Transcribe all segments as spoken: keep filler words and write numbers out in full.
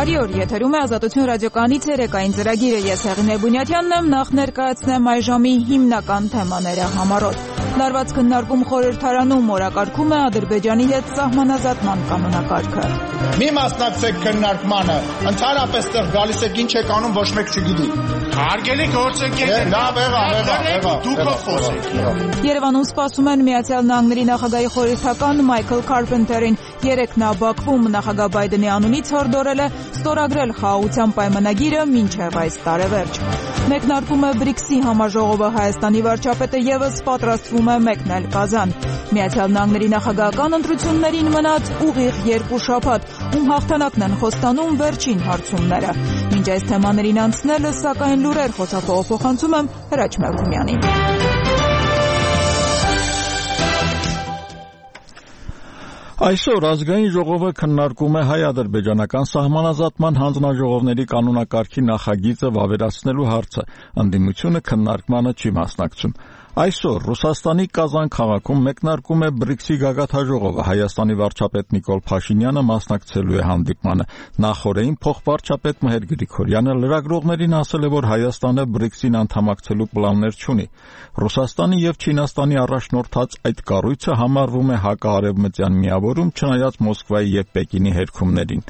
Բարի օր, եթերում է Ազատություն ռադիոկայանի ցերեկային ծրագիրը, ես Հեղինե Բունյաթյանն եմ, նախ ներկայացնեմ այժմի հիմնական թեմաները համառոտ։ Լարված քննարկում խորհրդարանում օրակարգում է Ադրբեջանի հետ սահմանազատման կանոնակարգը։ Մի մասնակցեք քննարկմանը, ընդհանրապես տեղ գալիս եք ինչ եք անում, ոչ մեկ չգիտի։ Հարգելի գործընկերներ, լավ եղավ, եղավ, եղավ, դուք խոսեք։ Երևանում սպասում են Միացյալ Նահանգների նախագահի խորհրդական Մայքլ Քարփենթերին։ Երեկ նա Բաքվում նախագահ Բայդենի անունից հորդորել է ստորագրել խաղաղության պայմանագիրը մինչև այս տարեվերջ։ Մեկնարկում է բրիքսի համաժողովը, Հայաստանի վարչապետը ևս պատրաստվում է մեկնել Կազան։ Միացյալ Նահանգների նախագահական ընտրություններին մնաց ուղիղ երկու շաբաթ, ում հաղթանակն են խոստանում վերջին հարցումները։ Մինչ այս թեմաներին անցնելը, սակայն լուրեր խոսափողը փոխանցում եմ Հրաչ Մելքումյանին։ Այսօր ազգային ժողովը քննարկում է հայ-ադրբեջանական սահմանազատման հանձնաժողովների կանոնակարգի նախագիծը վավերացնելու հարցը։ Ընդդիմությունը քննարկմանը չի մասնակցում։ Այսօր Ռուսաստանի Կազան քաղաքում մեկնարկում է բրիքսի գագաթնաժողովը։ Հայաստանի վարչապետ Նիկոլ Փաշինյանը մասնակցելու է հանդիպմանը։ Նախորդին փոխվարչապետ Մհեր Գրիգորյանը լրագրողներին ասել է, որ Հայաստանը բրիքսին անդամակցելու պլաններ չունի։ Ռուսաստանի եւ Չինաստանի առաջնորդած այդ կառույցը համարվում է հակաարևմտյան միավորում, չնայած Մոսկվայի եւ Պեկինի հերքումներին։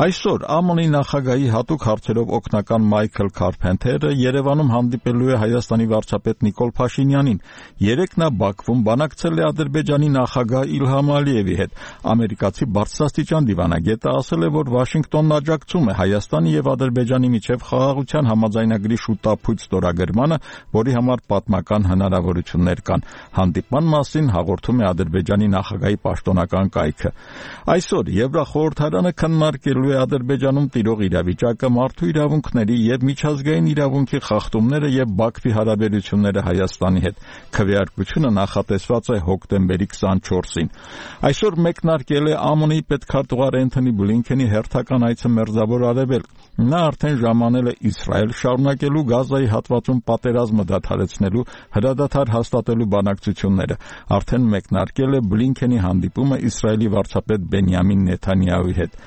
Այսօր ԱՄՆ-ի նախագահի հատուկ հարցերով օգնական Մայքլ Քարփենթերը Երևանում հանդիպելու է Հայաստանի վարչապետ Նիկոլ Փաշինյանին։ Երեկ նա Բաքվում բանակցել է Ադրբեջանի նախագահ Իլհամ Ալիևի հետ։ Ամերիկացի բարձրաստիճան դիվանագետը ասել է, որ Վաշինգտոնն աջակցում է Հայաստանի եւ Ադրբեջանի միջև խաղաղության համաձայնագրի շուտափույթ ստորագրմանը, որի համար պատմական հնարավորություններ կան։ Հանդիպման մասին հաղորդում է Ադրբեջանի նախագահի պաշտոնական կայքը։ Այսօր Եվրախորհրդարանը քննարկելու է Ադրբեջանում տիրող իրավիճակը, մարդու իրավունքների եւ միջազգային իրավունքի խախտումները եւ Բաքվի հարաբերությունները Հայաստանի հետ։ Քվեարկությունը նախատեսված է հոկտեմբերի քսանչորսին։ Այսօր մեկնարկել է ԱՄՆ-ի պետքարտուղար Էնթոնի Բլինքենի հերթական այցը Մերձավոր Արևելք։ Նա արդեն ժամանել է Իսրայել, շարունակելու Գազայի հատվածում պատերազմը դադարեցնելու հրադադար հաստատելու բանակցությունները։ Արդեն մեկնարկել է Բլինքենի հանդիպումը Իսրայելի վարչապետ Բենյամին Նեթանյահուի հետ։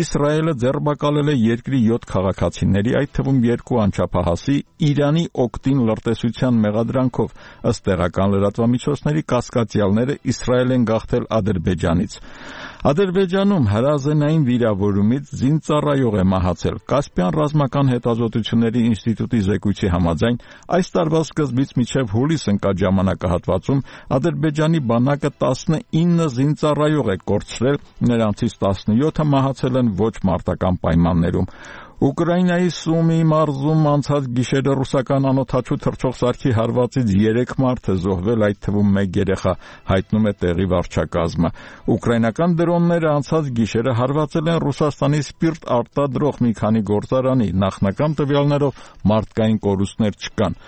Իսրայելը ձեռբակալել է երկրի յոթ քաղաքացիների, այդ թվում երկու անչափահասի, Իրանի օգտին լրտեսության մեղադրանքով։ Ըստ տեղական լրատվամիջոցների, կասկածյալները Իսրայել են գաղթել Ադրբեջանից։ Ադրբեջանում հրազենային վիրավորումից զինծառայող է մահացել։ Կասպյան ռազմական հետազոտությունների ինստիտուտի զեկույցի համաձայն այս տարվա սկզբից մինչև հուլիս ընկած ժամանակահատվածում Ադրբեջանի բանակը տասնինը զինծառայող է կորցրել, նրանցից տասնյոթը մահացել են ոչ մարտական պայմաններում։ Ուկրաինայի Սումի մարզում անցած գիշերը ռուսական անօդաչու թռչող սարքի հարվածից երեք մարդ է զոհվել, այդ թվում մեկ երեխա, հայտնում է տեղի վարչակազմը։ Ուկրաինական դրոնները անցած գիշերը հարվածել են Ռուսաստանի սպիրտ արտադրող մի քանի գործարանի, նախնական տվյալներով մարդկային կորուստներ չկան։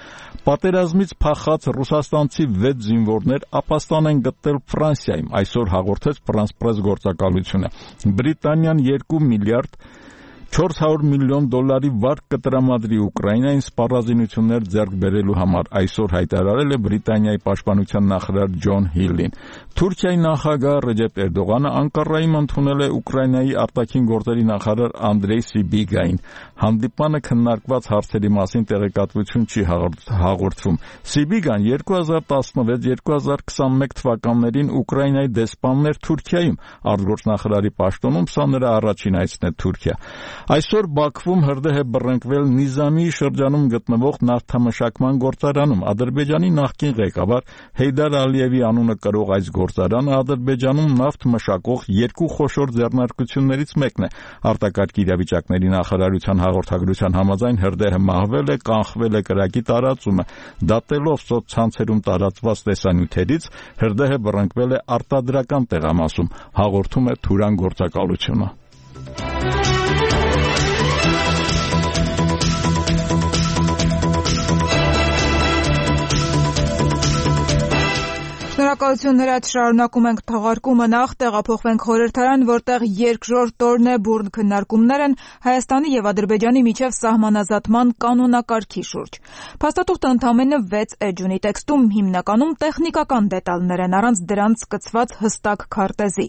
Պատերազմից փախած ռուսաստանցի վեց զինվորներ ապաստան են գտել Ֆրանսիայում, այսօր հաղորդեց Ֆրանս Պրես գործակալությունը։ Բրիտանիան երկու միլիարդ չորս հարյուր միլիոն դոլարի վարկ կտրամադրի Ուկրաինային սպառազինություններ ձեռք բերելու համար, այսօր հայտարարել է Բրիտանիայի պաշտպանության նախարար Ջոն Հիլին։ Թուրքիայի նախագահ Ռեջեփ Էրդողանը Անկարայում ընդունել է Ուկրաինայի արտաքին գործերի նախարար Անդրեյ Սիբիգային։ Հանդիպանը քննարկված հարցերի մասին տեղեկատվություն չի հաղորդվում։ Սիբիգան երկու հազար տասնվեց երկու հազար քսանմեկ թվականներին Ուկրաինայի դեսպանն էր Թուրքիայում, արտգործնախարարի պաշտոնում սա նրա առաջին այցն է Թուրքիա։ Այսօր Բաքվում հրդեհ է բռնկվել Նիզամի շրջանում գտնվող նավթամշակման գործարանում։ Ադրբեջանի նախկին ղեկավար Հեյդար Ալիևի անունը կրող այս գործարանը Ադրբեջանում նավթ մշակող երկու խոշոր ձեռնարկություններից մեկն է։ Արտակարգ իրավիճակների նախարարության հաղորդագրության համաձայն հրդեհը մահվել է, կանխվել է կրակի տարածումը։ Դատելով սոցցանցերում տարածված տեսանյութերից, հրդեհը բռնկվել է արտադրական տեղամասում, հաղորդում է Թուրան գործակալությունը։ Շնորհակալություն հրաց, շարունակում ենք թողարկումը, նախ տեղափոխվենք խորհրդարան, որտեղ երկրորդ օրն է բուրն քննարկումներ են Հայաստանի եւ Ադրբեջանի միջև սահմանազատման կանոնակարգի շուրջ։ Փաստաթուղթը ընդամենը վեց էջ ունի, տեքստում հիմնականում տեխնիկական դետալներ են, առանց դրանց սկսված հստակ քարտեզի։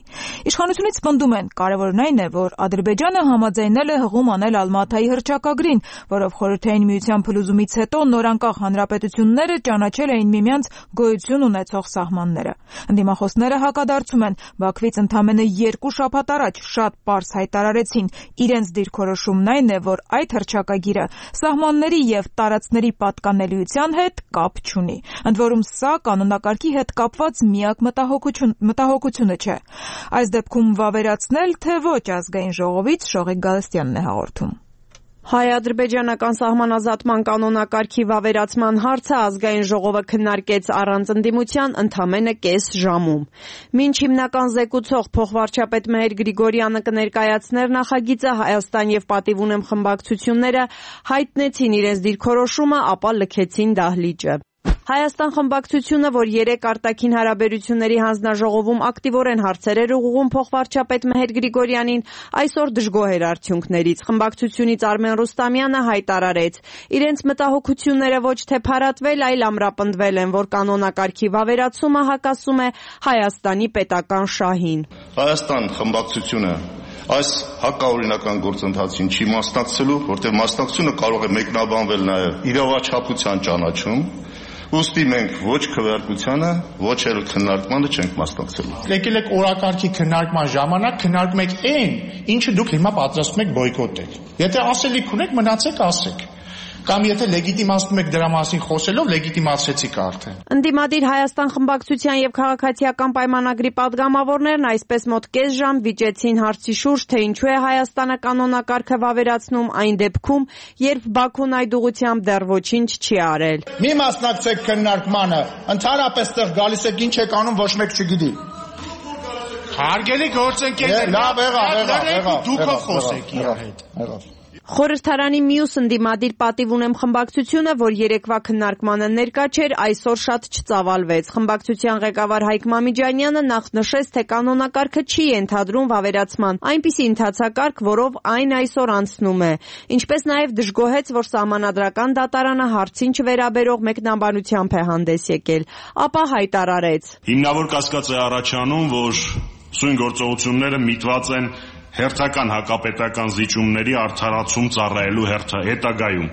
Իշխանությունից պնդում են, կարևորն այն է, որ Ադրբեջանը համաձայնել է հղում անել Ալմաթայի հռչակագրին, որով Խորհրդային Միության փլուզումից հետո նորանկախ հանրապետությունները ճանաչել էին միմյանց գոյություն ունեցող սահմանները։ Ընդդիմախոսները հակադարձում են, Բաքվից ընդամենը երկու շաբաթ առաջ շատ պարզ հայտարարեցին, իրենց դիրքորոշումն այն է, որ այդ հռչակագիրը սահմանների եւ տարածքների պատկանելիության հետ կապ չունի։ Ընդ որում սա կանոնակարգի հետ կապված միակ մտահոգություն, մտահոգությունը չէ։ Այս դեպքում վավերացնել, թե ոչ ազգային ժողովից Շողիկ Գալստյանն է հաղորդում։ Հայ-ադրբեջանական սահմանազատման կանոնակարգի վավերացման հարցը ազգային ժողովը քննարկեց առանց ընդդիմության ընդամենը կես ժամում։ Մինչ հիմնական զեկուցող փոխվարչապետ Մեհեր Գրիգորյանը կներկայացներ նախագիծը, Հայաստան եւ Պատիվ ունեմ խմբակցությունները հայտնեցին իրենց դիրքորոշումը, ապա լքեցին դահլիճը։ Հայաստան խմբակցությունը, որ երեք արտաքին հարաբերությունների հանձնաժողովում ակտիվորեն հարցեր էր ուղղում փոխվարչապետ Մեհեր Գրիգորյանին, այսօր դժգոհ էր արդյունքներից։ Խմբակցությունից Արմեն Ռուստամյանը հայտարարեց. իրենց մտահոգությունները ոչ թե փարատվել, այլ ամրապնդվել են, որ կանոնակարգի վավերացումը հակասում է Հայաստանի պետական շահին։ Հայաստան խմբակցությունը այս հակաօրինական գործընթացին չի մասնակցելու, որտեղ մասնակցությունը կարող է մեկնաբանվել նաև իրավաչափության ճանաչում։ Ուստի մենք ոչ քվեարկությանը, ոչ էլ քննարկմանը չենք մասնակցելու։ Եկել եք օրակարգի քննարկման ժամանակ քննարկում եք այն, ինչը դուք հիմա պատրաստում եք բոյկոտել։ Եթե ասելիք ունեք, մնացեք ասեք։ Կամ եթե լեգիտիմացնում եք դրա մասին խոսելով, լեգիտիմացրեցիք արդեն։ Ընդդիմադիր Հայաստան խմբակցության եւ քաղաքացիական պայմանագրի падգամավորներն այսպես մոտ կես ժամ վիճեցին հարցի շուրջ, թե ինչու է Հայաստանը կանոնակարգը վավերացնում այն դեպքում, երբ Բաքուն այդ ուղղությամբ դեռ ոչինչ չի արել։ Մի մասնակցեք քննարկմանը, ընդհանրապես տեղ գալիս եք ինչ եք անում, ոչ մեկ չգիտի։ Հարգելի գործընկերներ, լավ եղավ, եղավ, եղավ, դուք խոսեք իր հետ։ Խորհրդարանի մյուս ընդդիմադիր Պատիվ ունեմ խմբակցությունը, որ երեկվա քննարկմանը ներկա չէր, այսօր շատ չծավալվեց։ Խմբակցության ղեկավար Հայկ Մամիջանյանը նախ նշեց, թե կանոնակարգը չի ենթադրում վավերացման, այնպիսի ընթացակարգ, որով այն այսօր անցնում է։ Ինչպես նաև դժգոհեց, որ Սահմանադրական դատարանը հարցին չվերաբերող մեկնաբանությամբ է հանդես եկել, ապա հայտարարեց. Հիմնավոր կասկած է առաջանում, որ սույն գործողությունները միտված են հերթական հակապետական զիջումների արդարացում ծառայելու հետագայում։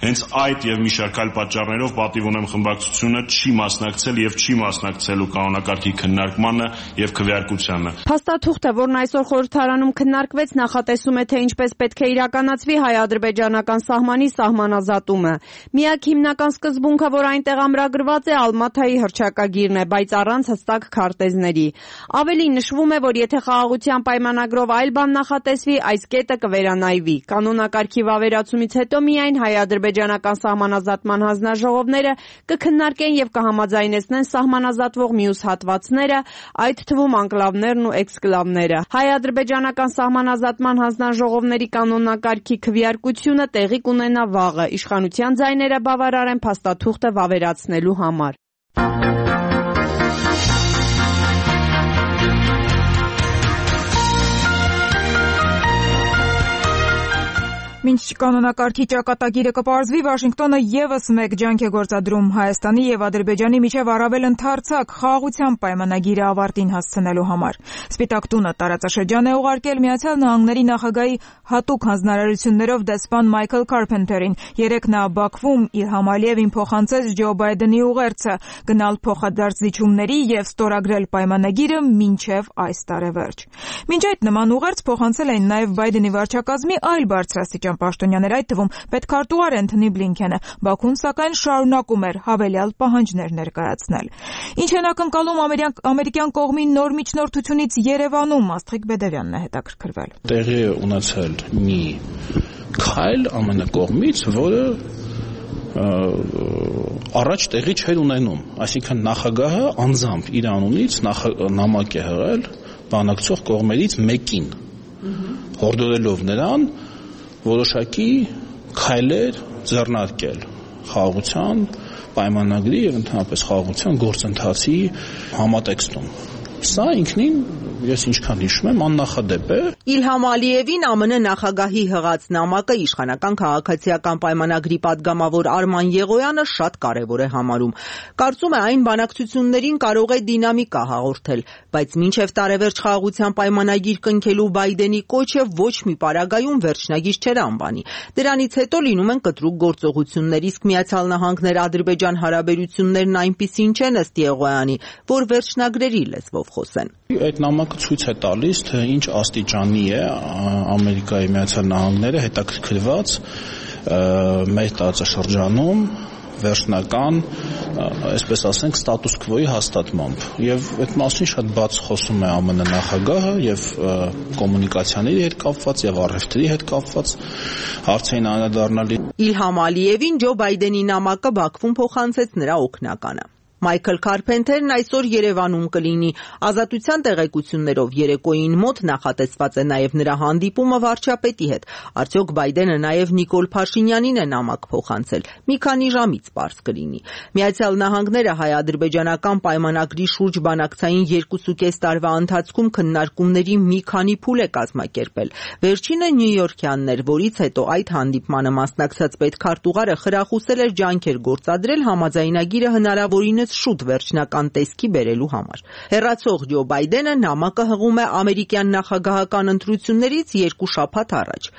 Հենց այդ եւ մի շարք այլ պատճառներով Պատիվ ունեմ խմբակցությունը չի մասնակցել եւ չի մասնակցելու կանոնակարգի քննարկմանը եւ քվեարկությանը։ Փաստաթուղթը, որն այսօր խորհրդարանում քննարկվեց, նախատեսում է, թե ինչպես պետք է իրականացվի հայ-ադրբեջանական սահմանի սահմանազատումը։ Միակ հիմնական սկզբունքը, որ այնտեղ ամրագրված է, Ալմաթայի հռչակագիրն է, բայց առանց հստակ քարտեզների։ Ավելին նշվում է, որ եթե խաղաղության պայմանագրով այլ բան նախատեսվի, այս կետը կվերանայվի։ Կանոնակարգի վավերացումից հետո միայն հայ-ադրբեջանական Ադրբեջանական սահմանազատման հանձնաժողովները կքննարկեն եւ կհամաձայնեցնեն սահմանազատվող մյուս հատվածները, այդ թվում անկլավներն ու էքսկլավները։ Հայ-ադրբեջանական սահմանազատման հանձնաժողովների կանոնակարգի քվեարկությունը տեղի կունենա վաղը, իշխանության ձայները բավարար են փաստաթուղթը վավերացնելու համար։ Մինչ կանոնակարգի ճակատագիրը կպարզվի, Վաշինգտոնը եւս մեկ ջանք է գործադրում Հայաստանի եւ Ադրբեջանի միջև առավել ընդարձակ խաղաղության պայմանագիրը ավարտին հասցնելու համար։ Սպիտակ տունը տարածաշրջան է ուղարկել Միացյալ Նահանգների նախագահի հատուկ հանձնարարություններով դեսպան Մայքլ Կարփենթերին։ Երեկ նա Բաքվում Իլհամ Ալիևին փոխանցեց Ջո Բայդենի ուղերձը գնալ փոխադարձ զիջումների եւ ստորագրել պայմանագիրը մինչեւ այս տարեվերջ։ Մինչ այդ նման ուղերձ փոխանցել էին նաեւ Բայդենի վարչակազմի այլ բարձրաստիճան պաշտոնյաներ, այդ թվում պետքարտուղար Էնթոնի Բլինքենը։ Բաքուն սակայն շարունակում էր հավելյալ պահանջներ ներկայացնել։ Ինչ են ակնկալում ամերիկյան կողմի նոր միջնորդությունից Երևանում, Աստղիկ Բեդևյանն է հետաքրքրվել։ Տեղի է ունեցել մի քայլ ԱՄՆ կողմից, որը առաջ տեղի չէր ունենում, այսինքն նախագահը անձամբ իր անունից նամակ է հղել բանակցող կողմերից մեկին, հորդորելով նրան որոշակի քայլեր ձեռնարկել խաղաղության պայմանագրի եւ ընդհանրապես խաղաղության գործընթացի համատեքստում։ Սա ինքնին ես ինչքան հիշում եմ աննախադեպ է։ Իլհամ Ալիևին ԱՄՆ նախագահի հղած նամակը իշխանական քաղաքացիական պայմանագրի падգամավոր Արման Եղոյանը շատ կարևոր է համարում։ Կարծում է այն բանակցություններին կարող է դինամիկա հաղորդել, բայց մինչև տարեվերջ խաղաղության պայմանագիր կնքելու Բայդենի կոչը ոչ մի պարագայում վերջնագիր չէր անվանի։ Դրանից հետո լինում են կտրուկ գործողություններ, իսկ Միացյալ Նահանգներ-Ադրբեջան հարաբերություններն այնպիսին չեն ըստ Եղոյանի, որ վերջնագրերի լեզվով խոսեն։ Այդ նամակը ցույց է տալիս, թե ինչ աստիճանի է Ամերիկայի Միացյալ Նահանգները հետաքրքրված մեր տարածաշրջանում վերջնական, այսպես ասենք, ստատուս քվոյի հաստատմամբ։ Եվ այդ մասին շատ բաց խոսում է ԱՄՆ նախագահը եւ կոմունիկացիաների հետ կապված եւ առևտրի հետ կապված հարցերին անդրադառնալի։ Իլհամ Ալիևին Ջո Բայդենի նամակը Բաքվում փոխանցեց նրա օգնականը։ Մայքլ Քարփենթերն այսօր Երևանում կլինի։ Ազատության տեղեկություններով երեկոյին մոտ նախատեսված է նաև նրա հանդիպումը վարչապետի հետ։ Արդյոք Բայդենը նաև Նիկոլ Փաշինյանին է նամակ փոխանցել։ Մի քանի ժամից պարզ կլինի։ Միացյալ Նահանգները հայ-ադրբեջանական պայմանագրի շուրջ բանակցային երկուսուկես տարվա ընթացքում քննարկումների մի քանի փուլ է կազմակերպել։ Վերջինը նյույորքյանն էր, որից հետո այդ հանդիպմանը մասնակցած պետքարտուղարը խրախուսել էր ջանքեր գործադրել համաձայնագիրը հնարավորինս շուտ վերջնական տեսքի բերելու համար։ Հեռացող Ջո Բայդենը նամակը հղում է ամերիկյան նախագահական ընտրություններից երկու շաբաթ առաջ,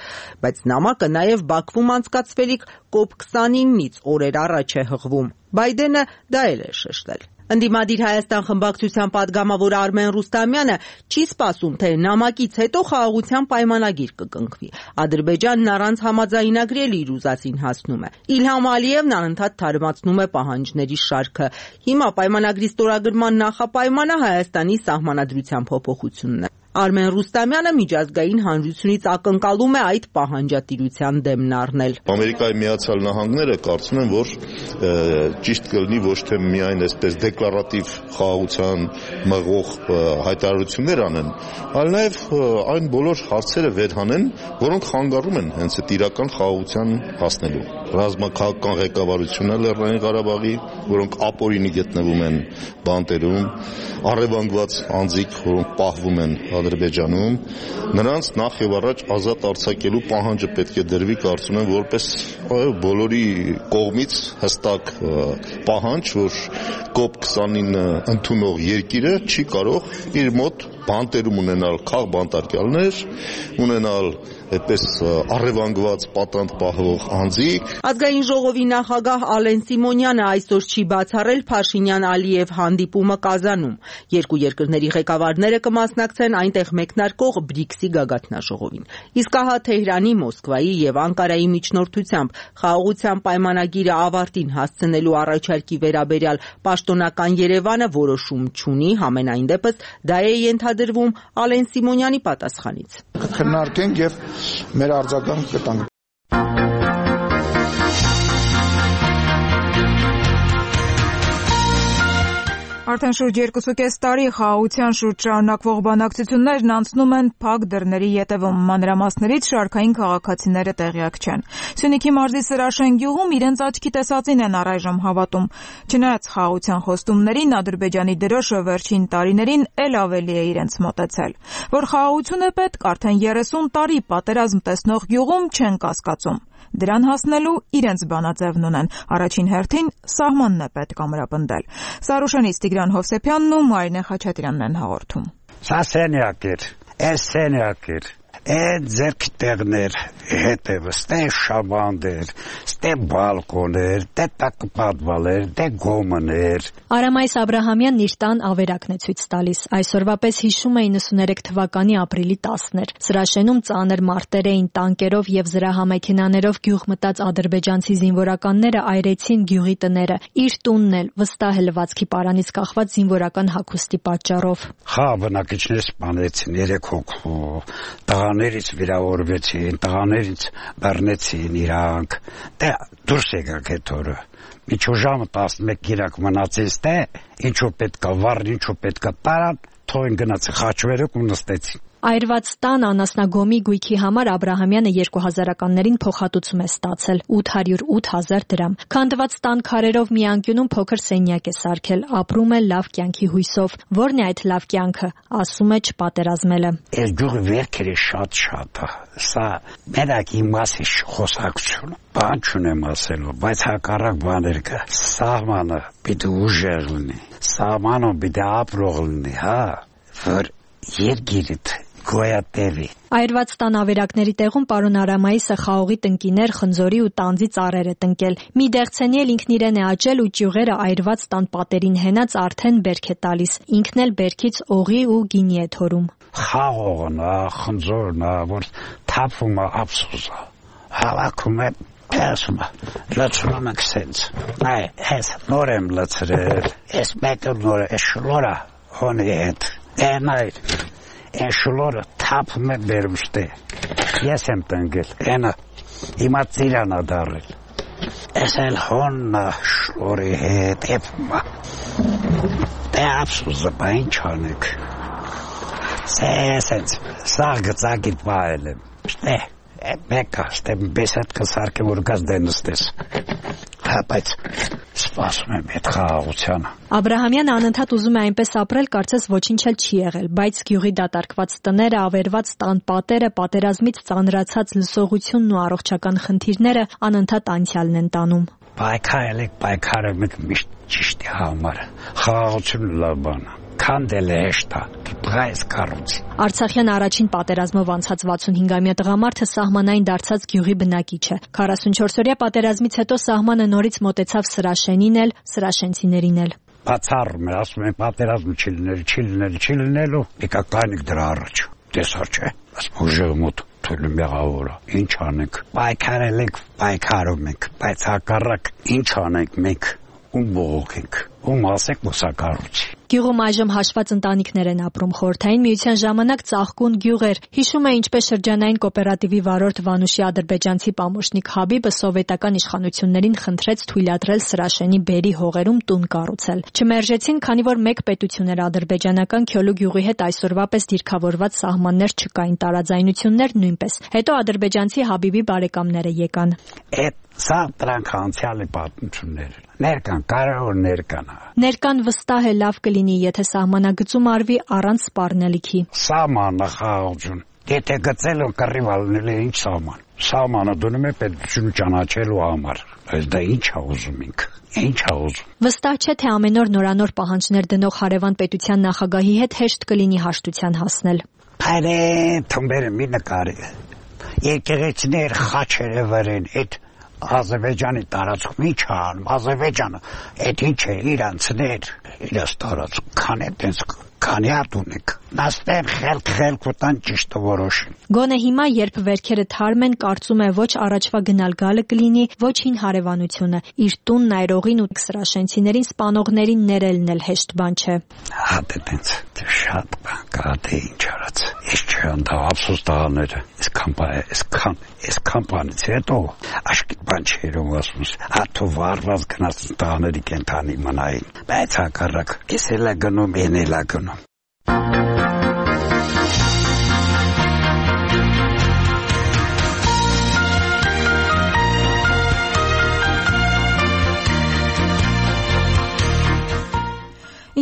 բայց նամակը նաև Բաքվում անցկացվելիք կոպ քսանինից օրեր առաջ է հղվում։ Բայդենը դա էլ է շեշտել։ Ընդդիմադիր Հայաստան խմբակցության падգամավոր Արմեն Ռուստամյանը չի սպասում, թե նամակից հետո խաղաղության պայմանագիր կկնքվի։ Ադրբեջանն առանց համաձայնագրի էլ իր ուզածին հասնում է։ Իլհամ Ալիևն անընդհատ թարմացնում է պահանջների շարքը։ Հիմա պայմանագրի ստորագրման նախապայմանը Հայաստանի սահմանադրության փոփոխությունն է։ Արմեն Ռուստամյանը միջազգային հանրությունից ակնկալում է այդ պահանջատիրության դեմն առնել։ Ամերիկայի Միացյալ Նահանգները կարծում են, որ ճիշտ կլինի ոչ թե միայն այսպես դեկլարատիվ խաղաղության մղող հայտարարություններ անեն, այլ նաև այն բոլոր հարցերը վերհանեն, որոնք խանգարում են հենց այդ իրական խաղաղության հասնելու։ Ռազմաքաղաքական ղեկավարությունը Լեռնային Ղարաբաղի, որոնք ապօրինի գտնվում են բանտերում, առևանգված անձիկ, որոնք պահվում են Ադրբեջանում, նրանց նախ եւ առաջ ազատ արձակելու պահանջը պետք է դրվի, կարծում եմ, որպես բոլորի կողմից հստակ պահանջ, որ կոպ քսանինը ընդունող երկիրը չի կարող իր մոտ բանտերում ունենալ քաղ բանտարկյալներ, ունենալ այդպես առևանգված պատանդ պահող անձիկ։ Ազգային ժողովի նախագահ Ալեն Սիմոնյանը այսօր չի բացառել Փաշինյան-Ալիև հանդիպումը Կազանում։ Երկու երկրների ղեկավարները կմասնակցեն այնտեղ մեկնարկող բրիքսի գագաթնաժողովին։ Իսկ ահա Թեհրանի, Մոսկվայի եւ Անկարայի միջնորդությամբ խաղաղության պայմանագիրը ավարտին հասցնելու առաջարկի վերաբերյալ պաշտոնական Երևանը որոշում չունի, համենայն դեպս դա է ենթադրվում Ալեն Սիմոնյանի պատասխանից։ Քննարկենք եւ մեր արձագանք կտանք։ Արդեն շուրջ երկուսուկես տարի խաղաղության շուրջ շարունակվող բանակցություններն անցնում են փակ դռների ետևում, մանրամասներից շարքային քաղաքացիները տեղյակ չեն։ Սյունիքի մարզի Սրաշեն գյուղում իրենց աչքի տեսածին են առայժմ հավատում։ Չնայած խաղաղության խոստումներին, Ադրբեջանի դրոշը վերջին տարիներին էլ ավելի է իրենց մոտեցել։ Որ խաղաղություն է պետք, արդեն երեսուն տարի պատերազմ տեսնող գյուղում չեն կասկածում։ Դրան հասնելու իրենց բանաձևն ունեն։ Առաջին հերթին սահմանն է պետք ամրապնդել։ Սարուշենից Տիգրան Հովսեփյանն ու Մարինե Խաչատրյանն են հաղորդում։ Սա սենյակ էր, այս սենյակ էր, այդ ձերքի տեղներ հետևը, ստե շաբանդ էր, ստե բալկոն էր, դե տակպատվալ էր, դե գոմն էր։ Արամայիս Աբրահամյանն իր տան ավերակն է ցույց տալիս։ Այսօրվա պես հիշում է իննսուներեք թվականի ապրիլի տասն էր։ Սրաշենում ծանր մարտեր էին, տանկերով եւ զրահամեքենաներով գյուղ մտած ադրբեջանցի զինվորականները այրեցին գյուղի տները։ Իր տունն էլ վստահ է լվացքի պարանից կախված զինվորական հագուստի պատճառով։ Խա բնակիչներ սպանեցին երեք հոգու, տղաներից վիրավորվեցին, տղաներից բռնեցին իրանք։ Դե դուրս եկան այդ օրը։ Միջու ժամը տասնմեկ գիրակ մնացից թե ինչու պետքա վառ, ինչու պետքա տարան, թողին գնացի խաչվերեք ու նստեցին։ Այրված տան անասնագոմի գույքի համար Աբրահամյանը երկու հազարականներին փոխհատուցում է ստացել ութ հարյուր ութ հազար դրամ։ Քանդված տան քարերով մի անկյունում փոքր սենյակ է սարքել, ապրում է լավ կյանքի հույսով։ Որն է այդ լավ կյանքը, ասում է չպատերազմելը։ Այս գյուղի վերքերը շատ-շատ է։ Սա մենակ իմ մասի խոսակցություն։ Բան չունեմ ասելու, բայց հակառակ բաներ կա։ Սահմանը պիտի ուժեղ լինի, սահմանը պիտի ապրող լինի, հա, որ երկիրդ գոյատևի։ Այրված տան ավերակների տեղում պարոն Արամայիսը խաղողի տնկիներ, խնձորի ու տանձի ծառեր է տնկել։ Մի դեղցենի էլ ինքն իրեն է աճել ու ճյուղերը այրված տան պատերին հենած արդեն բերք է տալիս։ Ինքն էլ բերքից օղի ու գինի է թորում։ Խաղողն է, խնձորն է, որ թափում է ափսոսը։ Հավաքում է Ասում է, լացում ենք սենց։ Այ, ես նոր եմ լացրել, ես մեկը նոր է, ես շլորա հոնի հետ։ Են այր, են շլորը թափում է բերուստե։ Ես եմ տնգել, ենը, հիմա ծիրան է դարել։ Ես էլ հոննա շլորի հետ, էպում է։ Դե ապսուզը, բա ինչ անեք։ Սենց, սաղ գծակիտ պահել եմ, շտե։ Մեկը, ստեմ բեսատ կսարկեմ որ գազ դենստես։ Հա, բայց սպասում եմ այդ խաղաղությանը։ Աբրահամյանը անընդհատ ուզում է այնպես ապրել, կարծես ոչինչ էլ չի եղել, բայց գյուղի դատարկված տները, ավերված տան պատերը, պատերազմից ծանրացած լսողությունն ու առողջական խնդիրները անընդհատ անցյալն են տանում։ Պայքարել եք, պայքարում եք միշտ ճիշտի համար։ Խաղաղությունը լավ բան է։ Քանդել է հեշտ է, դրայս կառույց։ Արցախյան առաջին պատերազմով անցած վաթսունհինգամյա տղամարդը սահմանային դարձած գյուղի բնակիչ է։ քառասունչորսօրյա պատերազմից հետո սահմանը նորից մոտեցավ Սրաշենին էլ, սրաշենցիներին էլ։ Բացառում է, ասում են պատերազմը չի լինել, չի լինել, չի լինելու, եկա կանիկ դրա առաջ։ Տեսար չէ, ասում ուժեղ մոտ թույլում եղավորը։ Ինչ անենք։ Պայքարել եք, պայքարում եք, բայց հակառակ ինչ անենք մենք, ում բողոքենք, ում ասեք մուսակառույցի։ Գյուղում այժմ հաշված ընտանիքներ են ապրում։ Խորհրդային միության ժամանակ ծաղկուն գյուղ էր։ Հիշում է ինչպես շրջանային կոոպերատիվի վարորդ Վանուշի ադրբեջանցի պամոշնիկ Հաբիբը սովետական իշխանություններին խնդրեց թույլատրել Սրաշենի բերի հողերում տուն կառուցել։ Չմերժեցին, քանի որ մեկ պետություն էր ադրբեջանական Քյոլու գյուղի հետ այսօրվա պես դիրքավորված սահմաններ չկային, տարաձայնություններ նույնպես։ Հետո ադրբեջանցի Հաբիբի բարեկամները եկան։ Սա դրանք անցյալի պատմություններ են։ Ներկան, կարող ներկան։ Ներկան վստահ է լավ կլինի, եթե սահմանագծում արվի առանց սպառնելիքի։ Սահմանը խաղաղություն։ Եթե գծել ու կռիվալնել է ինչ սահման։ Սահմանը դնում է պետությունը ճանաչելու համար։ Բայց դա ինչ է ուզում ինք։ Ինչ է ուզում։ Վստահ չէ, թե ամեն օր նորանոր պահանջներ դնող հարևան պետության նախագահի հետ հեշտ կլինի հաշտության հասնել։ Այդե թմբերը մի նկարի։ Եկեղեցիներ խաչերը վրեն, այդ Ադրբեջանի տարածքում ինչ անում, Ադրբեջանը, այդ ինչ է, իրանցներ, իրաց տարածքում, քան է տենց, քանի հատ ունեք, նաստեն խելք-խելք ուտան ճիշտը որոշին։ Գոնե հիմա, երբ վերքերը թարմ են, կարծում է ոչ առաջվա գնալ գալը կլինի, ոչ հին հարևանությունը, իր տունն այրողին ու սրաշենցիներին սպանողներին ներելն էլ հեշտ բան չէ։ Հատ է տենց, շատ բան կա, թե ինչ արած, ես չեմ դա ափսոս տղաները, ես կամպանից հետո, աշկիտ բան չերում ասում, հատու վարված գնաց տղաների կենթանի մնային, բայց հակառակ, ես էլ է գնում, են էլ է գնում։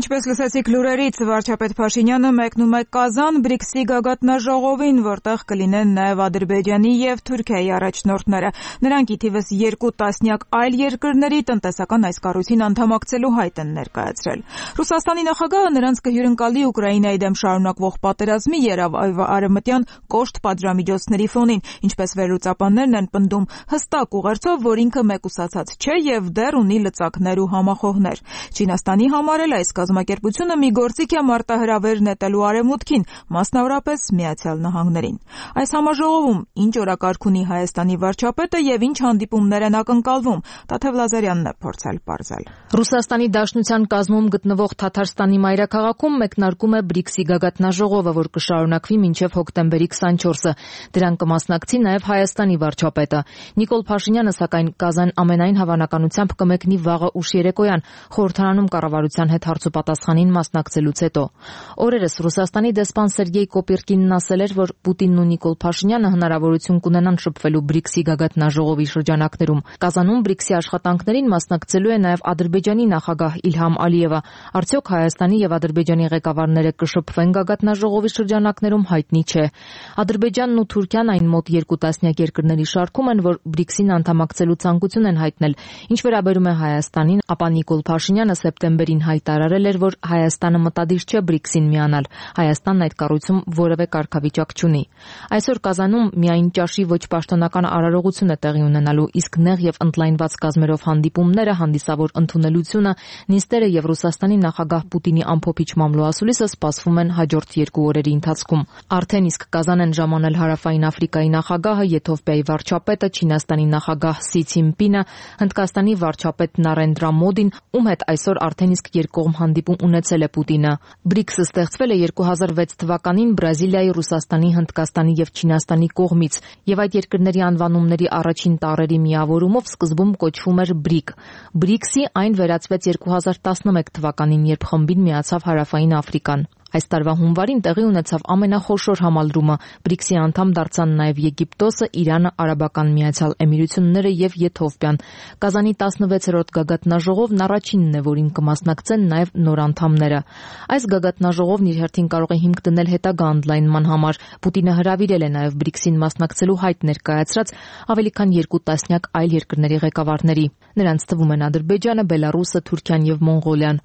Ինչպես լսեցիք լուրերից, վարչապետ Փաշինյանը մեկնում է Կազան բրիքսի գագաթնաժողովին, որտեղ կլինեն նաև Ադրբեջանի և Թուրքիայի առաջնորդները։ Նրանք ի թիվս երկու տասնյակ այլ երկրների տնտեսական այս կառույցին անդամակցելու հայտ են ներկայացրել։ Ռուսաստանի նախագահը նրանց կհյուրընկալի Ուկրաինայի դեմ շարունակվող պատերազմի երավ արևմտյան կոշտ պատժամիջոցների ֆոնին, ինչպես վերլուծաբաններն են պնդում, հստակ ուղերձով, որ ինքը մեկուսացած չէ և դեռ ունի լծակներ ու համախոհներ։ Չինաստանի համար էլ այս կազմակերպությունը մի գործիք է մարտահրավեր նետելու արևմուտքին, մասնավորապես Միացյալ Նահանգներին։ Այս համաժողովում ինչ օրակարգ ունի Հայաստանի վարչապետը և ինչ հանդիպումներ են ակնկալվում, Տաթև Լազարյանն է փորձել պարզել։ Ռուսաստանի Դաշնության կազմում գտնվող Թաթարստանի մայրաքաղաքում մեկնարկում է բրիքսի գագաթնաժողովը, որ կշարունակվի մինչև հոկտեմբերի քսանչորսը։ Դրան կմասնակցի նաև Հայաստանի վարչապետը։ Նիկոլ Փաշինյանը, սակայն, Կազան ամենայն հավանականությամբ կմեկնի վաղը ուշ երեկոյան, խորհրդարանում կառավարության հետ հարցուպատասխան պատասխանին մասնակցելուց հետո։ Օրերս Ռուսաստանի դեսպան Սերգեյ Կոպիրկինն ասել էր, որ Պուտինն ու Նիկոլ Փաշինյանը հնարավորություն կունենան շփվելու բրիքսի գագաթնաժողովի շրջանակներում։ Կազանում բրիքսի աշխատանքներին մասնակցելու է նաև Ադրբեջանի նախագահ Իլհամ Ալիևը։ Արդյոք Հայաստանի եւ Ադրբեջանի ղեկավարները կշփվեն գագաթնաժողովի շրջանակներում, հայտնի չէ։ Ադրբեջանն ու Թուրքիան այն մոտ երկու տասնյակ երկրների շարքում են, որ բրիքսին անդամակցելու ցանկություն են հայտնել։ Ինչ վերաբերում է Հայաստանին, ապա Նիկոլ Փաշինյանը սեպտեմբերին հայտարարել էր, որ Հայաստանը մտադիր չէ բրիքսին միանալ։ Հայաստանն այդ կառույցում որևէ կարգավիճակ չունի։ Այսօր Կազանում միայն ճաշի ոչ պաշտոնական արարողություն է տեղի ունենալու, իսկ նեղ եւ ընդլայնված կազմերով հանդիպումները, հանդիսավոր ընդունելությունը, նիստերը եւ Ռուսաստանի նախագահ Պուտինի ամփոփիչ մամլոասուլիսը սպասվում են հաջորդ երկու օրերի ընթացքում։ Արդեն իսկ Կազան են ժամանել Հարավային Աֆրիկայի նախագահը, Եթովպիայի վարչապետը, Չինաստանի նախագահ Սի Ցինպինը, Հնդկաստանի վարչապետ Նարենդրա Մոդին, ում հետ այսօր արդեն իսկ երկկողմ հանդիպում ունեցել է Պուտինը։ բրիքսը ստեղծվել է երկու հազար վեց թվականին Բրազիլիայի, Ռուսաստանի, Հնդկաստանի եւ Չինաստանի կողմից, եւ այդ երկրների անվանումների առաջին տառերի միավորումով սկզբում կոչվում էր բրիկ։ բրիքսի այն վերածվեց երկու հազար տասնմեկ թվականին, երբ խմբին միացավ Հարավային Աֆրիկան։ Այս տարվա հունվարին տեղի ունեցավ ամենախոշոր համալրումը։ բրիքսի անդամ դարձան նաև Եգիպտոսը, Իրանը, Արաբական Միացյալ Էմիրությունները եւ Եթովպիան։ Կազանի տասնվեցերորդ գագաթնաժողովն առաջինն է, որին կմասնակցեն նաև նոր անդամները։ Այս գագաթնաժողովն իր հերթին կարող է հիմք դնել հետագա ընդլայնման համար։ Պուտինը հրավիրել է նաև բրիքսին մասնակցելու հայտ ներկայացրած ավելի քան երկու տասնյակ այլ երկրների ղեկավարների։ Նրանց թվում են Ադրբեջանը, Բելարուսը, Թուրքիան եւ Մոնղոլիան։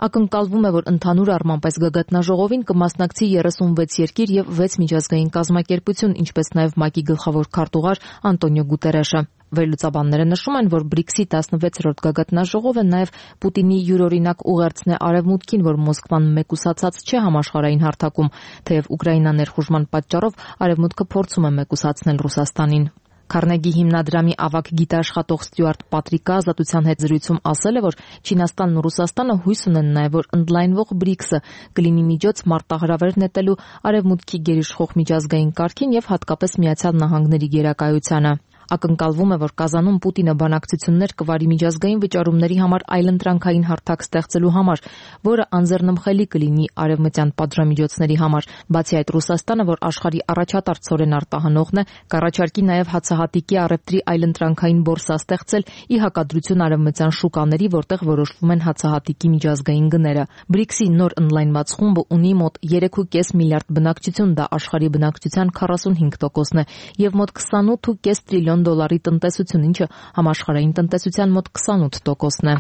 Ակնկալվում է, որ ընդհանուր առմամբ այս գագաթնաժողովին կմասնակցի երեսունվեց երկիր եւ վեց միջազգային կազմակերպություն, ինչպես նաև ՄԱԿ-ի գլխավոր քարտուղար Անտոնիո Գուտերեշը։ Վերլուծաբանները նշում են, որ բրիքսի տասնվեցերորդ գագաթնաժողովը նաև Պուտինի յուրօրինակ ուղերձն է Արևմուտքին, որ Մոսկվան մեկուսացած չէ համաշխարհային հարթակում, թեև Ուկրաինա ներխուժման պատճառով Արևմուտքը փորձում է մեկուսացնել Ռուսաստանին։ Քարնեգի հիմնադրամի ավագ գիտաշխատող Ստյուարտ Պատրիկը Ազատության հետ զրույցում ասել է, որ Չինաստանն ու Ռուսաստանը հույս ունեն նաև, որ ընդլայնվող բրիքսը կլինի միջոց մարտահրավեր նետելու Արևմուտքի գերիշխող միջազգային կարգին եւ հատկապես Միացյալ Նահանգների գերակայությանը։ Ակնկալվում է, որ Կազանում Պուտինը բանակցություններ կվարի միջազգային վճարումների համար այլընտրանքային հարթակ ստեղծելու համար, որը անձեռնմխելի կլինի արևմտյան պատժամիջոցների համար։ Բացի այդ, Ռուսաստանը, որ աշխարհի առաջատար ցորեն արտահանողն է, կառաջարկի նաև հացահատիկի առևտրի այլընտրանքային բորսա ստեղծել ի հակադրություն արևմտյան շուկաների, որտեղ որոշվում են հացահատիկի միջազգային գները։ բրիքսի նոր ընդլայնված խումբը ունի մոտ երեք կόμμα պենս միլիարդ բնակչություն, դա աշխարհի բնակչության քառասունհինգ տոկոսն է, եւ մոտ քսանութ կόμμα պենս տրիլիոն դոլարի տնտեսություն, ինչը համաշխարհային տնտեսության մոտ քսանութ տոկոսն է։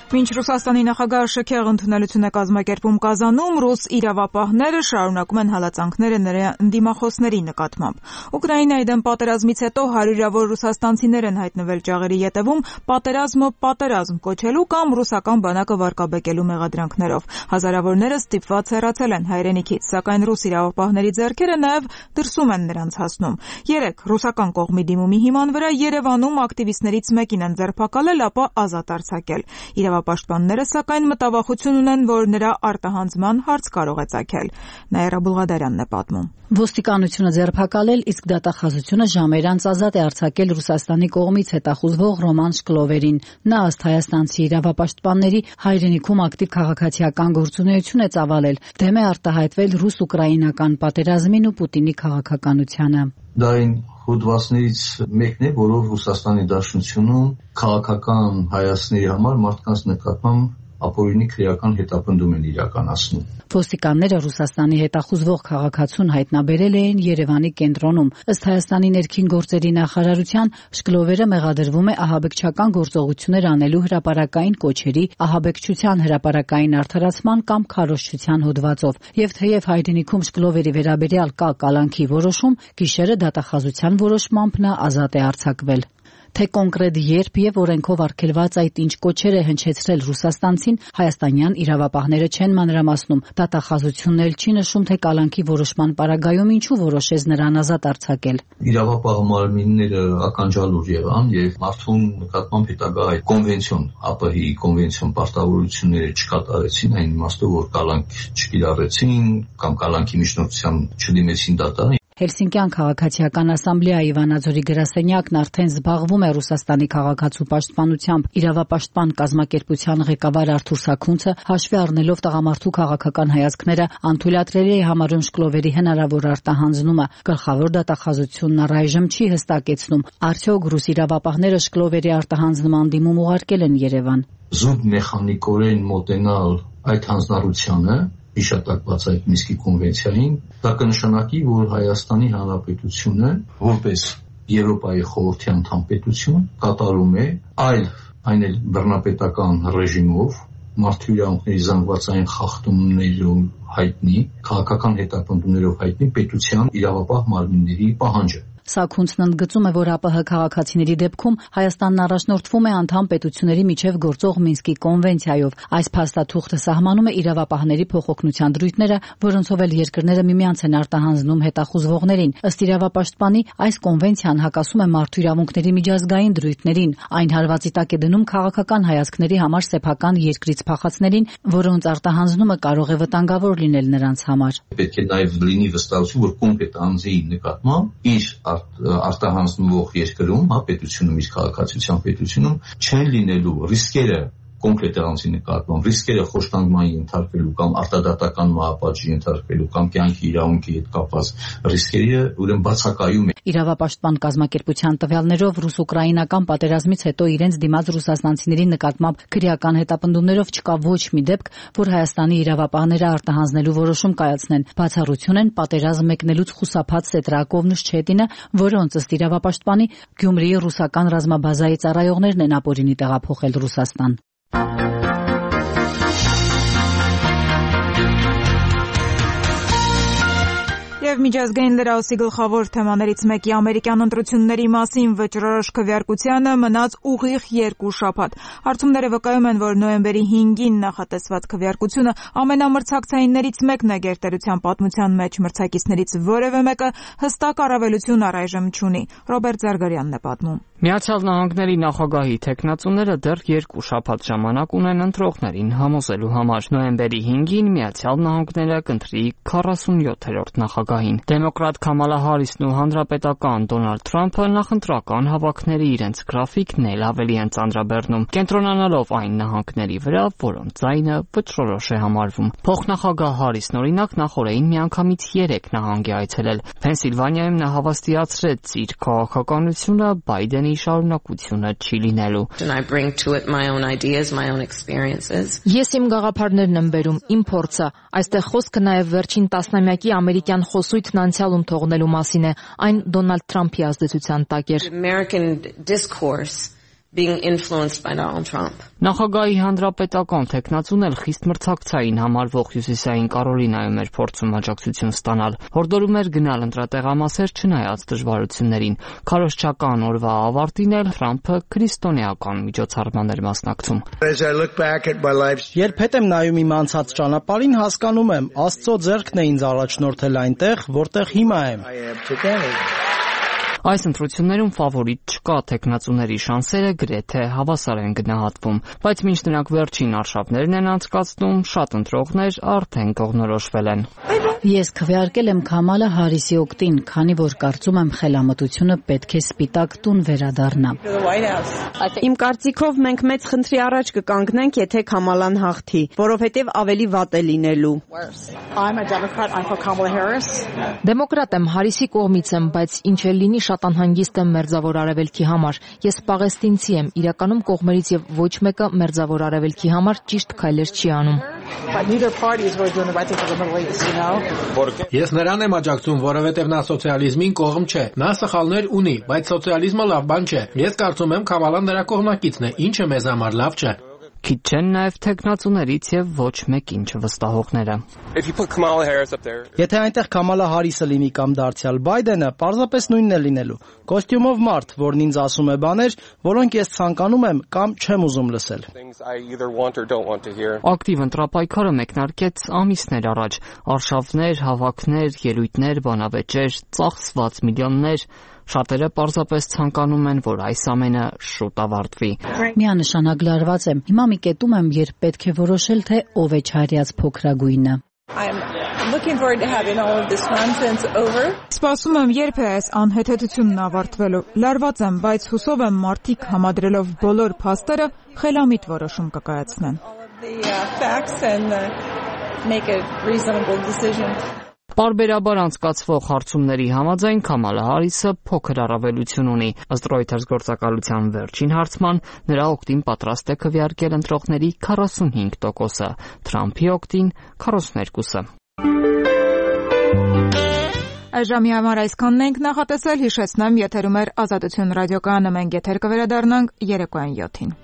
Մինչ Ռուսաստանի նախագահը շքեղ ընդունելություն է կազմակերպում Կազանում, ռուս իրավապահները շարունակում են հալածանքները նրա ընդդիմախոսների նկատմամբ։ Ուկրաինայի դեմ պատերազմից հետո հարյուրավոր ռուսաստանցիներ են հայտնվել ճաղերի ետևում պատերազմը պատերազմ կոչելու կամ ռուսական բանակը վարկաբեկելու մեղադրանքներով։ Հազարավորները ստիպված հեռացել են հայրենիքից, սակայն ռուս իրավապահների ձեռքերը նաև դրսում են նրանց հասնում։ Երեք ռուսական կողմի դիմումի հիման վրա Երևանում ակտիվիստներից մեկին են ձերբակալել, ապա ազատ արձակել։ Իրավապաշտպանները սակայն մտավախություն ունեն, որ նրա արտահանձման հարց կարող է ծագել։ Նաիրա Բուլղադարյանն է պատմում։ Ոստիկանությունը ձերբակալել, իսկ դատախազությունը ժամեր անց ազատ է արձակել Ռուսաստանի կողմից հետախուզվող Ռոման Շկլովերին։ Նա ըստ հայաստանցի իրավապաշտպանների հայրենիքում ակտիվ քաղաքացիական գործունեություն է ծավալել, դեմ է արտահայտվել ռուս-ուկրաինական պատերազմին ու Պուտինի քաղաքականությանը։ Դա այն հոդվածներից մեկն է, որով Ռուսաստանի Դաշնությունում քաղաքական հայացքների համար մարդկանց նկատմամբ ապօրինի քրեական հետապնդում են իրականացնում։ Ոստիկանները Ռուսաստանի հետախուզվող քաղաքացուն հայտնաբերել էին Երևանի կենտրոնում։ Ըստ Հայաստանի ներքին գործերի նախարարության, Շկլովերը մեղադրվում է ահաբեկչական գործողություններ անելու հրապարակային կոչերի, ահաբեկչության հրապարակային արդարացման կամ քարոզչության հոդվածով։ Եվ թեև հայրենիքում Շկլովերի վերաբերյալ կա կալանքի որոշում, գիշերը դատախազության որոշմամբ նա ազատ է արձակվել։ Թե կոնկրետ երբ եւ օրենքով արգելված այդ ինչ կոչեր է հնչեցրել ռուսաստանցին, հայաստանյան իրավապահները չեն մանրամասնում։ Դատախազությունն էլ չի նշում, թե կալանքի որոշման պարագայում ինչու որոշեց նրան ազատ արձակել։ Իրավապահ մարմինները ականջալուր եղան եւ մարդուն նկատմամբ հետագա այդ կոնվենցիոն, ԱՊՀ-ի կոնվենցիոն պարտավորությունները չկատարեցին, այն իմաստով, որ կալանք չկիրառեցին կամ կալանքի միջնորդությամբ չդիմեցին դատարան։ Հելսինկյան քաղաքացիական ասամբլեայի Վանաձորի գրասենյակն արդեն զբաղվում է Ռուսաստանի քաղաքացու պաշտպանությամբ։ Իրավապաշտպան կազմակերպության ղեկավար Արթուր Սաքունցը հաշվի առնելով տղամարդու քաղաքական հայացքները անթույլատրելի է համարում շկլովերի հնարավոր արտահանձնումը։ Գլխավոր դատախազությունն առայժմ չի հստակեցնում, արդյոք ռուս իրավապահները շկլովերի արտահանձնման դիմում ուղարկել են Երևան։ Զուտ մեխանիկորեն մոտենալ այդ հանձնառությանը, հիշատակված այդ Մինսկի կոնվենցիային, դա կնշանակի, որ Հայաստանի Հանրապետությունը որպես Եվրոպայի խորհրդի անդամ պետություն կատարում է այլ, այն էլ բռնապետական ռեժիմով, մարդու իրավունքների զանգվածային խախտումներով հայտնի, քաղաքական հետապնդումներով հայտնի պետության իրավապահ մարմինների պահանջը։ Սաքունցն ընդգծում է, որ ԱՊՀ քաղաքացիների դեպքում Հայաստանն առաջնորդվում է անդամ պետությունների միջև գործող Մինսկի կոնվենցիայով։ Այս փաստաթուղթը սահմանում է իրավապահների փոխօգնության դրույթները, որոնցով էլ երկրները միմյանց են արտահանձնում հետախուզվողներին։ Ըստ իրավապաշտպանի, այս կոնվենցիան հակասում է մարդու իրավունքների միջազգային դրույթներին։ Այն հարվածի տակ է դնում քաղաքական հայացքների համար սեփական երկրից փախածներին, որոնց արտահանձնումը կարող է վտանգավոր լինել նրանց համար։ Պետք է նաև լինի վստահություն, որ կոնկրետ անձի նկատմամբ իր արտահանձնվող երկրում, հա, պետությունում, իր քաղաքացիության պետությունում չեն լինելու ռիսկերը կոնկրետ անձի նկատմամբ, ռիսկերը խոշտանգման ենթարկվելու կամ արտադատական մահապատժի ենթարկվելու կամ կյանքի իրավունքի հետ կապված ռիսկերը ուրեմն բացակայում է։ Իրավապաշտպան կազմակերպության տվյալներով ռուս-ուկրաինական պատերազմից հետո իրենց դիմաց ռուսաստանցիների նկատմամբ քրեական հետապնդումներով չկա ոչ մի դեպք, որ Հայաստանի իրավապահները արտահանձնելու որոշում կայացնեն։ Բացառություն են պատերազմ մեկնելուց խուսափած Սետրակովն ու Շչետինը, որոնց ըստ իրավապաշտպանի Գյումրիի ռուսական ռազմաբազայի ծառայողներն են ապօրինի տեղափոխել Ռուսաստան։ Եվ միջազգային լրահոսի գլխավոր թեմաներից մեկի ամերիկյան ընտրությունների մասին վճռորոշ քվեարկությանը մնաց ուղիղ երկու շաբաթ։ Հարցումները վկայում են, որ նոյեմբերի հինգին նախատեսված քվեարկությունը ամենամրցակցայիններից մեկն է գերտերության պատմության մեջ, մրցակիցներից որևէ մեկը հստակ առավելություն առայժմ չունի։ Ռոբերտ Զարգարյանն է պատմում։ Միացյալ Նահանգների նախագահի թեկնածուները դեռ երկու շաբաթ ժամանակ ունեն ընտրողներին համոզելու համար։ Նոյեմբերի հինգին Միացյալ Նահանգները կընտրի քառասունյոթերորդ նախագահին։ Դեմոկրատ Քամալա Հարիսն ու հանրապետական Դոնալդ Թրամփը նախընտրական հավաքների իրենց գրաֆիկն էլ ավելի են ծանրաբեռնում, կենտրոնանալով այն նահանգների վրա, որոնց ձայնը վճռորոշ է համարվում։ Փոխնախագահ Հարիսն օրինակ նախորդին միանգամից երեք նահանգ է այցելել։ Փենսիլվանիայում նա հավաստիացրեց իր քաղաքականությունը Բայդենի շարունակությունը չի լինելու։ Ես իմ գաղափարներն եմ բերում, իմ փորձը։ Այստեղ խոսքը նաև վերջին տասնամյակի ամերիկյան խոսույթն անցյալում թողնելու մասին է, այն Դոնալդ Թրամփի ազդեցության տակ էր։ Being influenced by Donald Trump. Նախագահի հանրապետական թեկնածուն էլ խիստ մրցակցային համարվող Հյուսիսային Կարոլինայում էր փորձում աջակցություն ստանալ։ Հորդորում էր գնալ ընտրատեղամասեր չնայած դժվարություններին։ Քարոզչական օրվա ավարտին էլ Թրամփը քրիստոնեական միջոցառման էր մասնակցում։ Երբ հետ եմ նայում իմ անցած ճանապարհին, հասկանում եմ, Աստծո ձեռքն է ինձ առաջնորդել այնտեղ, որտեղ հիմա եմ։ Այս ընտրություններում ֆավորիտ չկա, թեկնածուների շանսերը գրեթե հավասար են գնահատվում, բայց մինչ նրանք վերջին արշավներն են անցկացնում, շատ ընտրողներ արդեն կողմնորոշվել են։ Ես քվեարկել եմ Քամալա Հարիսի օգտին, քանի որ կարծում եմ խելամտությունը պետք է սպիտակ տուն վերադառնա։ Իմ կարծիքով մենք մեծ խնդրի առաջ կկանգնենք, եթե Քամալան հաղթի, որովհետև ավելի վատ է լինելու։ Դեմոկրատ եմ, Հարիսի կողմից եմ, բայց ինչ էլ լինի շատ անհանգիստ եմ Մերձավոր Արևելքի համար։ Ես պաղեստինցի եմ, իրականում կողմերից եւ ոչ մեկը Մերձավոր Արևելքի համար ճիշտ քայլեր չի անում։ Ես նրան եմ աջակցում, որովհետև նա սոցիալիզմին կողմ չէ։ Նա սխալներ ունի, բայց սոցիալիզմը լավ բան չէ։ Ես կարծում եմ Քամալան նրա կողմնակիցն է, ինչը մեզ համար լավ չէ։ Քիչ չեն նաև թեկնածուներից եւ ոչ մեկին չվստահողները։ Եթե այնտեղ Քամալա Հարիսը լինի կամ դարձյալ Բայդենը, պարզապես նույնն է լինելու։ Կոստյումով մարդ, որն ինձ ասում է բաներ, որոնք ես ցանկանում եմ կամ չեմ ուզում լսել։ Ակտիվ ընտրապայքարը մեկնարկեց ամիսներ առաջ։ Արշավներ, հավաքներ, ելույթներ, բանավեճեր, ծախսված միլիոններ։ Շատերը պարզապես ցանկանում են, որ այս ամենը շուտ ավարտվի։ Միանշանակ լարված եմ։ Հիմա մի կետում եմ, երբ պետք է որոշել, թե ով է չարյաց փոքրագույնը։ looking forward to having all of this nonsense over. Սպասում եմ, երբ է այս անհեթեթությունն ավարտվելու։ Լարված եմ, բայց հուսով եմ մարդիկ համադրելով բոլոր փաստերը խելամիտ որոշում կկայացնեն։ The uh, facts and uh, make a reasonable decision. Պարբերաբար անցկացվող հարցումների համաձայն Քամալա Հարիսը փոքր առավելություն ունի։ Ըստ Reuters գործակալության վերջին հարցման նրա օգտին պատրաստ է քվեարկել ընտրողների քառասունհինգ տոկոսը, Թրամփի օգտին քառասուներկուսը։ Այժմի համար այսքանն ենք նախատեսել, հիշեցնեմ, եթերում էր Ազատություն ռադիոկայանը, մենք եթեր կվերադառնանք երեկոյան յոթին։